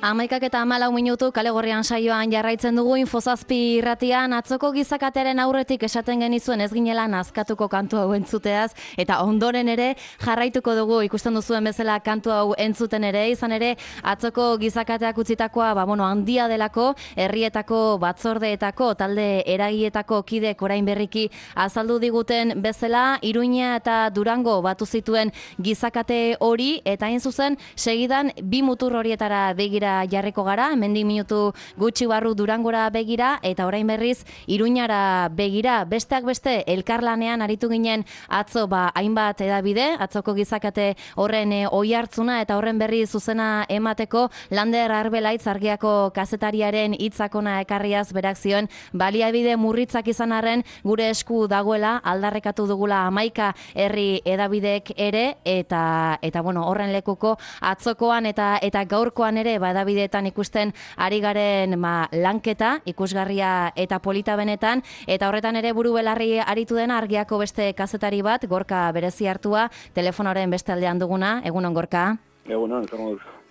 11:14 kale gorrian saioan jarraitzen dugu Infozazpi irratian. Atzoko gizakatearen aurretik esaten genizuen ez ginela nazkatuko kantu hau entzuteaz, eta ondoren ere jarraituko dugu ikusten duzuen bezala kantu hau entzuten ere, izan ere atzoko gizakateak utzitakoa handia delako, herrietako batzordeetako, talde eragietako kidek orain berriki azaldu diguten bezala, Iruña eta Durango batu zituen gizakate hori, eta hain zuzen segidan bi mutur horietara begira jarriko gara, hemendik minutu gutxi barru Durangora begira, eta orain berriz Iruñara begira. Besteak beste elkarlanean aritu ginen atzo hainbat edabide, atzoko gizakate horren oihartzuna eta horren berri zuzena emateko. Lander Arbelaitz Argiako kazetariaren hitzakona ekarriaz berak zioen baliabide murritzak izan arren gure esku dagoela aldarrekatu dugula 11 herri edabideek ere, eta horren lekuko atzokoan eta gaurkoan ere edabideetan ikusten ari garen lanketa, ikusgarria eta polita benetan, eta horretan ere buru belarri aritu dena Argiako beste kazetari bat, Gorka berezi hartua, telefonoren beste aldean duguna. Egunon, Gorka? Egunon, zer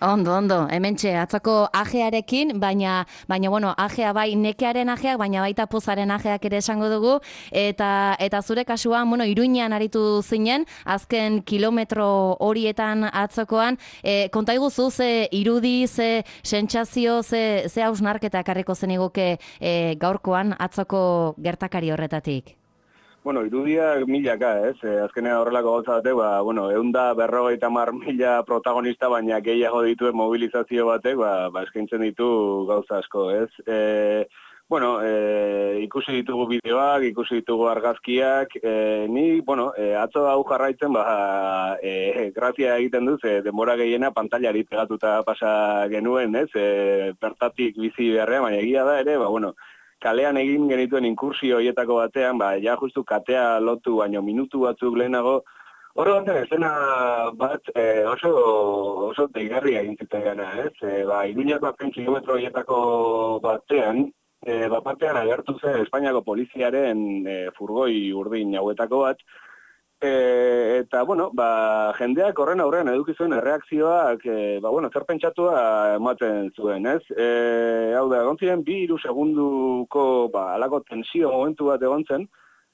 Ondo, hementxe, atzoko ajearekin, baina ajea bai nekearen ajeak, baina baita pozaren ajeak ere esango dugu, eta zure kasuan, Iruñean aritu zinen, azken kilometro horietan atzokoan, konta iguzu, ze irudi, ze sentsazio, ze hausnarketa ekarriko zeniguke gaurkoan atzoko gertakari horretatik? Irudiak milaka, ez? Azkenean horrelako gauza batek, 150.000 protagonista, baina gehiago dituen mobilizazio batek, eskaintzen ditu gauza asko, ez? Ikusi ditugu bideoak, ikusi ditugu argazkiak, atzo hau jarraitzen, grazia egiten duz, denbora gehiena pantailari pegatuta pasa genuen, ez? Bertatik bizi beharrean, baina egia da ere, kalean egin genituen inkursio horietako batean, justu katea lotu, baino minutu batzuk lehenago, horre batean esena bat oso deigarria egin zuten gana, ez? Iruñako azken kilometro horietako batean, agertu zen Espainiako poliziaren furgoi urdin hauetako bat, eta, jendeak horren aurrean eduki zuen erreakzioak, zer pentsatua ematen zuen, ez? Hau da, egon ziren 2-3 segunduko, alako tensio momentu bat egon zen,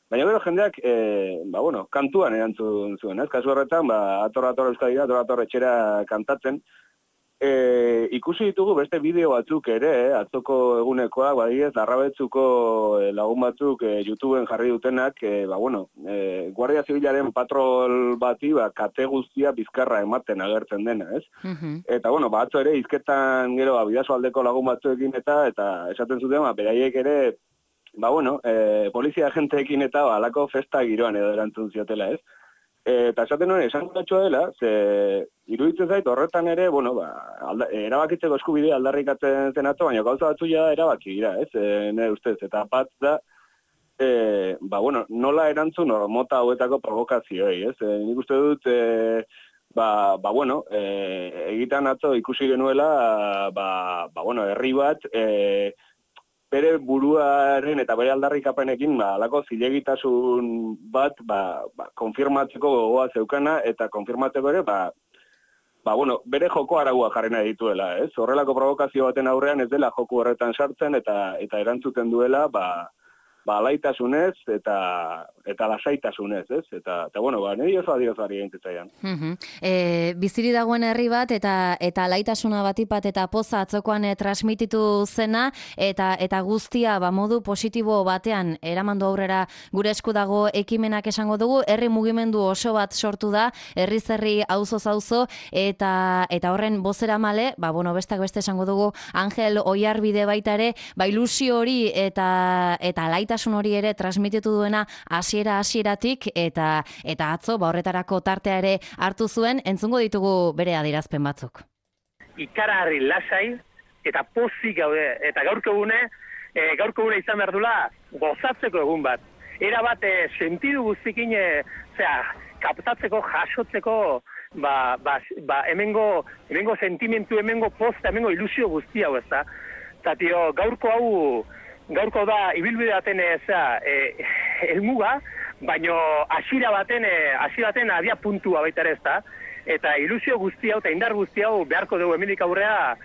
baina gero jendeak, kantuan erantzun zuen, ez? Kasu horretan, ator Euskadi, ator etxera kantatzen, ikusi ditugu beste bideo batzuk ere, atzoko egunekoak, Larrabetzuko lagun batzuk YouTubeen jarri dutenak, Guardia Zibilaren patrol bati, kate guztia bizkarra ematen agertzen dena, ez? Eta, atzo ere, hizketan gero, Bidasoaldeko lagun batzuekin eta esaten zuten, beraiek ere, polizia agenteekin eta alako festa giroan edo erantzun ziotela, ez? Eta esaten nuen, esan gatxoa dela, iruditzen zait horretan ere, erabakitzeko eskubidea aldarrikatzen zen atzo, baina gauza batzu ja erabaki dira, ez? Nire ustez, eta bat da, nola erantzun mota hauetako provokazioei, ez? Nik uste dut, egitan atzo ikusi genuela, herri bat, bere buruaren eta bere aldarrikapenekin alako zilegitasun bat konfirmatzeko gogoa zeukana eta konfirmatzeko ere bere joko araua jarri nahi dituela, ez? Horrelako provokazio baten aurrean ez dela joku horretan sartzen eta erantzuten duela alaitasunez eta lasaitasunez, ez? Eta niri oso adiozari egin biziri dagoen herri bat eta alaitasuna batipat eta poza atzokoan transmititu zena eta guztia modu positibo batean eramandu aurrera gure esku dago ekimenak esango dugu, herri mugimendu oso bat sortu da, herriz herri auzoz auzo eta horren bozeramale, bestak beste esango dugu Angel Oiarbide baita ere, ilusio hori eta alaitasun hori ere transmititu duena hasieratik eta atzo horretarako tartea ere hartu zuen, entzungo ditugu bere adierazpen batzuk. Ikaragarri lasai eta pozik gaude, eta gaurko egune izan behar dula gozatzeko egun bat. Era bat sentidu guztikin kaptatzeko, jasotzeko hemengo sentimentu, hemengo posta, hemengo ilusio guzti hau, ez da? Eta gaurko da ibilbide baten helmuga, baino hasiera baten abia puntua baita ere, ezta? Eta ilusio guzti hau eta indar guzti hau beharko dugu hemendik aurrea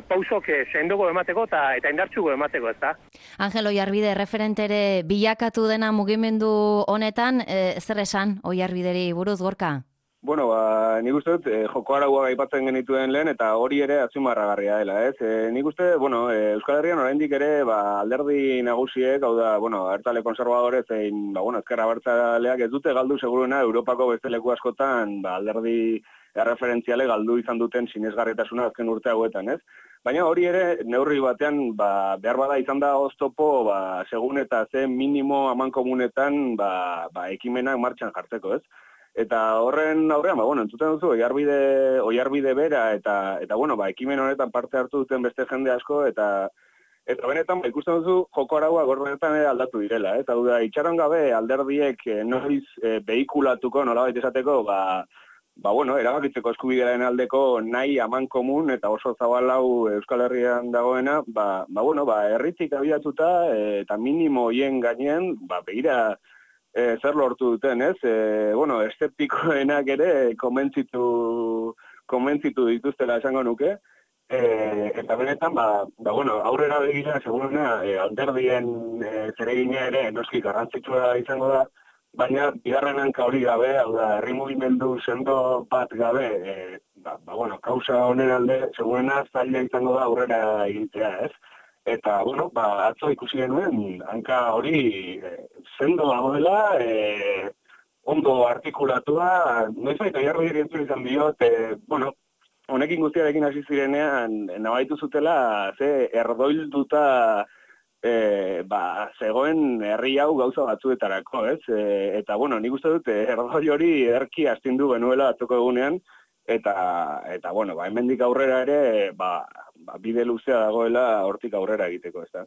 pausok sendogo emateko eta indartsugo emateko, ezta? Angel Oiarbide referentere bilakatu dena mugimendu honetan, zer esan Oiarbideri buruz, Gorka? Bueno, nik uste dut, joko araua aipatzen genituen lehen, eta hori ere azpimarragarria dela, ez? Nik uste, Euskal Herrian oraindik ere, alderdi nagusiek, hau da, abertzale konservadore zein, ezkerra abertzaleak ez dute galdu seguruena Europako beste leku askotan, alderdi erreferentziale galdu izan duten sinesgarritasuna azken urte hauetan, ez? Baina hori ere, neurri batean, behar bada izan da oztopo, segun eta ze minimo amankomunetan, ekimenak martxan jartzeko, ez? Eta horren aurrean, entzuten duzu, Oiarbide bera, eta ekimen honetan parte hartu duten beste jende asko, eta benetan, ikusten duzu, joko araua gorbenetan ere aldatu direla, eta da, itxaron gabe alderdiek noiz behikulatuko, nolabait esateko, erabakitzeko eskubidearen aldeko nahi amankomun, eta oso zabalau Euskal Herrian dagoena, herritik abiatuta, eta minimo hoien gainean, begira, zer lortu duten, ez? Eszeptikoenak ere konbentzitu dituztela esango nuke. Eta benetan, aurrera begira, seguruna, alderdien zeregina ere noski garrantzitsua izango da, baina bigarren hanka hori gabe, hau da, herri mugimendu sendo bat gabe, kausa honen alde, seguruna zaila izango da aurrera egitea, ez? Eta, atzo ikusi genuen, hanka hori sendo dagoela, ondo artikulatua, noizbait Oiarbideri entzun izan diot, honekin guztiarekin hasi zirenean, nabaitu zutela, ze erdoilduta zegoen herri hau gauza batzuetarako, ez? Eta, nik uste dut, erdoi hori ederki astindu genuela atzoko egunean, eta hemendik aurrera ere, bide luzea dagoela hortik aurrera egiteko, ez da.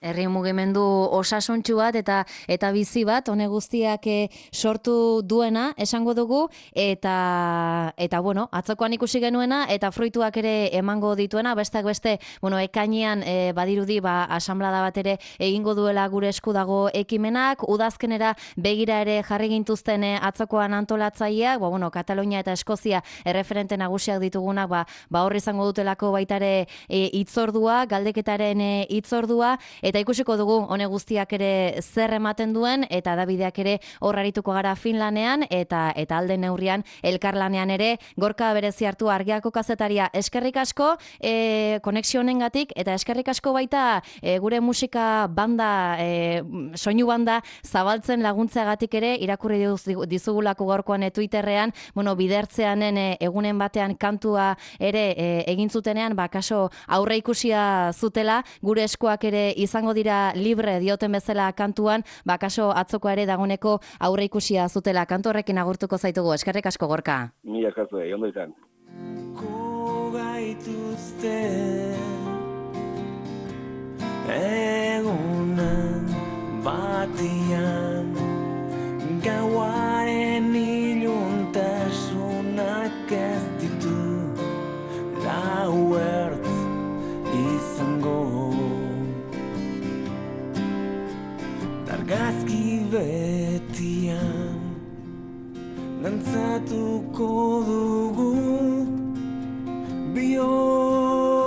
Herri mugimendu osasuntsu bat eta bizi bat, hone guztiak sortu duena, esango dugu, eta atzokoan ikusi genuena, eta fruituak ere emango dituena, besteak beste, ekainean badirudi, asamblada bat ere egingo duela gure esku dago ekimenak, udazkenera begira ere jarri gintuzten atzokoan antolatzaileak, Katalunia eta Eskozia erreferente nagusiak ditugunak, hor izango dutelako baita ere hitzordua, galdeketaren hitzordua, eta ikusiko dugu hone guztiak ere zer ematen duen, eta Davideak ere hor arituko gara Finlanean, eta alde neurrian elkarlanean ere. Gorka berezi hartu Argiako kazetaria, eskerrik asko konexio honengatik, eta eskerrik asko baita gure musika banda, soinu banda zabaltzen laguntzeagatik ere, irakurri dizugulako gaurkoan Twitterrean, bidertzeanen egunen batean kantua ere egin zutenean, kaso aurre ikusia zutela, gure eskuak ere izango dira libre dioten bezala kantuan, kaso atzokoa ere dagoneko aurre ikusia zutela. Kantu horrekin agurtuko zaitugu. Eskerrik asko, Gorka. Mila eskertu, ondo izan. Kogaituzte egunan batian gauaren iluntasunak ez ditu lau ertz izango argazki betian dantzatuko dugu bihotz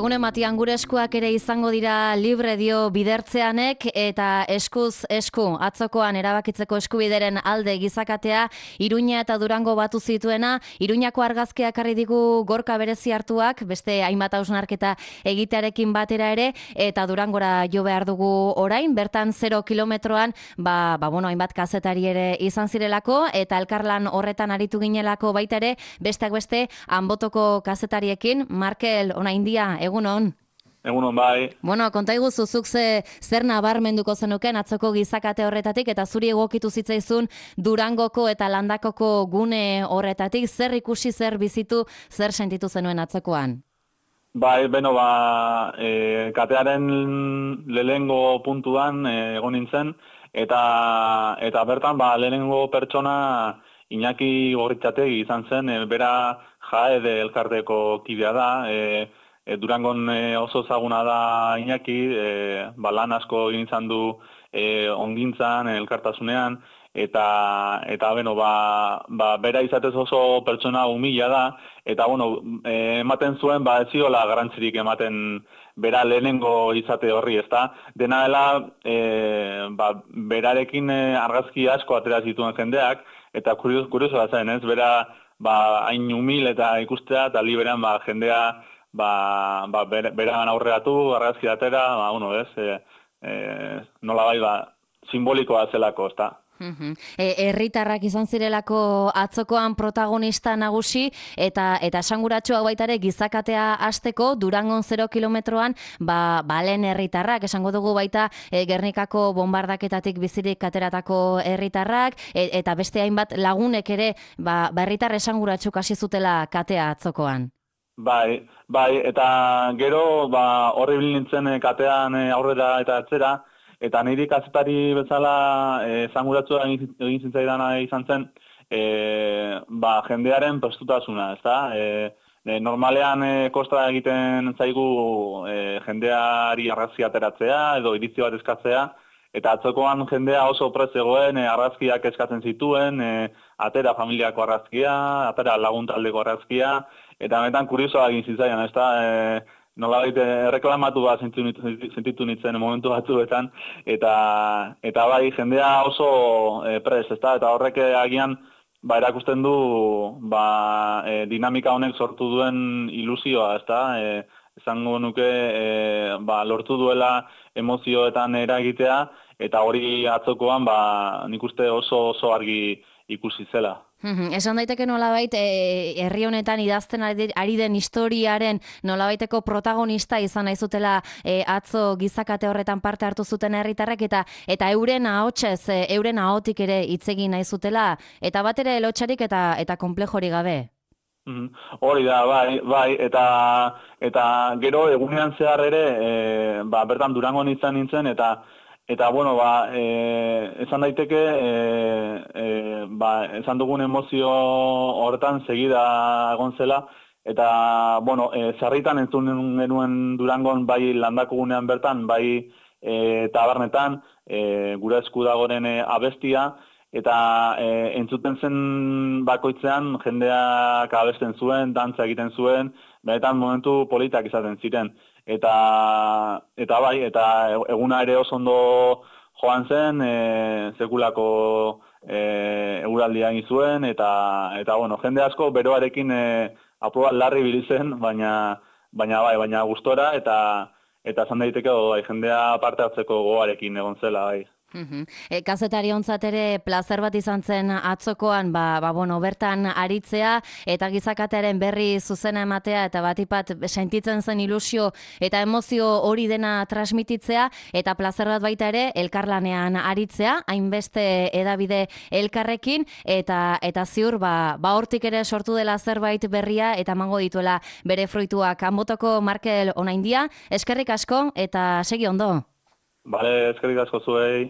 Egun ematian gure eskuak ere izango dira libre dio bidertzeanek eta eskuz esku atzokoan erabakitzeko eskubideren alde gizakatea Iruña eta Durango batu zituena. Iruñako argazkiak arri digu Gorka berezi hartuak, beste hainbat hausnarketa egitearekin batera ere, eta Durangora jo behar dugu orain, bertan 0 kilometroan, hainbat kazetari ere izan zirelako, eta elkarlan horretan aritu ginelako baita ere, besteak beste, Anbotoko kazetariekin. Markel, Onaindia, egunon. Egunon bai. Bueno, konta iguzu zuk zer nabarmenduko zenuken atzoko gizakate horretatik eta zuri egokitu zitzaizun Durangoko eta Landakoko gune horretatik, zer ikusi, zer bizitu, zer sentitu zenuen atzokoan? Bai, katearen lehenengo puntuan egon nintzen, eta bertan lehenengo pertsona Iñaki Gorritxategi izan zen, bera Jaede elkarteko kidea da, Durangon oso ezaguna da Iñaki, lan asko egin izan du ongintzan, elkartasunean, eta bera izatez oso pertsona humila da, eta ematen zuen ez ziola garrantzirik ematen bera lehenengo izate horri, ezta? Dena dela, berarekin argazki asko atera zituen jendeak, eta kuriosoa zen, ez? Bera hain humil eta ikustea, eta liberan jendea beran aurreatu, argazki atera, nola simbolikoa zelako, ezta? Herritarrak izan zirelako atzokoan protagonista nagusi eta esanguratsua baita ere gizakatea hasteko Durangon 0 kilometroan balen herritarrak, esango dugu baita Gernikako bombardaketatik bizirik ateratako herritarrak eta beste hainbat lagunek ere herritar esanguratsuk hasi zutela katea atzokoan. Bai, eta gero horri nintzen katean aurrera eta atzera. Eta niri kazetari bezala esanguratsua egin zitzaidana izan zen, jendearen prestutasuna, ezta? Normalean kosta egiten zaigu jendeari argazki ateratzea edo iritzi bat eskatzea, eta atzokoan jendea oso prest zegoen, argazkiak eskatzen zituen, atera familiako argazkia, atera lagun taldeko argazkia, eta benetan kuriosoa egin zitzaidan, ezta? Nolabait erreklamatu sentitu nintzen momentu batzuetan, eta jendea oso prest, ezta? Eta horrek agian erakusten du dinamika honek sortu duen ilusioa, ezta? Esango nuke lortu duela emozioetan eragitea, eta hori atzokoan nik uste oso argi ikusi zela. Esan daiteke nolabait herri honetan idazten ari den historiaren nolabaiteko protagonista izan nahi zutela atzo gizakate horretan parte hartu zuten herritarrek eta euren ahotsez, euren ahotik ere hitz egin nahi zutela eta bat ere lotsarik eta konplejori gabe. Hori da, bai, eta gero egunean zehar ere bertan Durangon izan nintzen eta esan daiteke, esan dugun emozio horretan segida egon zela, eta, sarritan entzun genuen Durangon, bai Landako gunean bertan, bai tabernetan, gure esku dagoren abestia, eta entzuten zen bakoitzean jendeak abesten zuen, dantza egiten zuen, benetan momentu politak izaten ziren. Eta eguna ere oso ondo joan zen, sekulako eguraldia egin zuen, eta jende asko beroarekin aprobat larri bilizen, baina gustora, eta zan daiteke jendea parte hartzeko goarekin egon zela, bai. Kazetari ontzat ere plazer bat izan zen atzokoan bertan aritzea eta gizakatearen berri zuzena ematea eta batipat sentitzen zen ilusio eta emozio hori dena transmititzea eta plazer bat baita ere elkarlanean aritzea, hainbeste edabide elkarrekin eta ziur hortik ere sortu dela zerbait berria eta emango dituela bere fruituak. Anbotoko Markel Onaindia, eskerrik asko eta segi ondo. Bale, eskerrik asko zuei.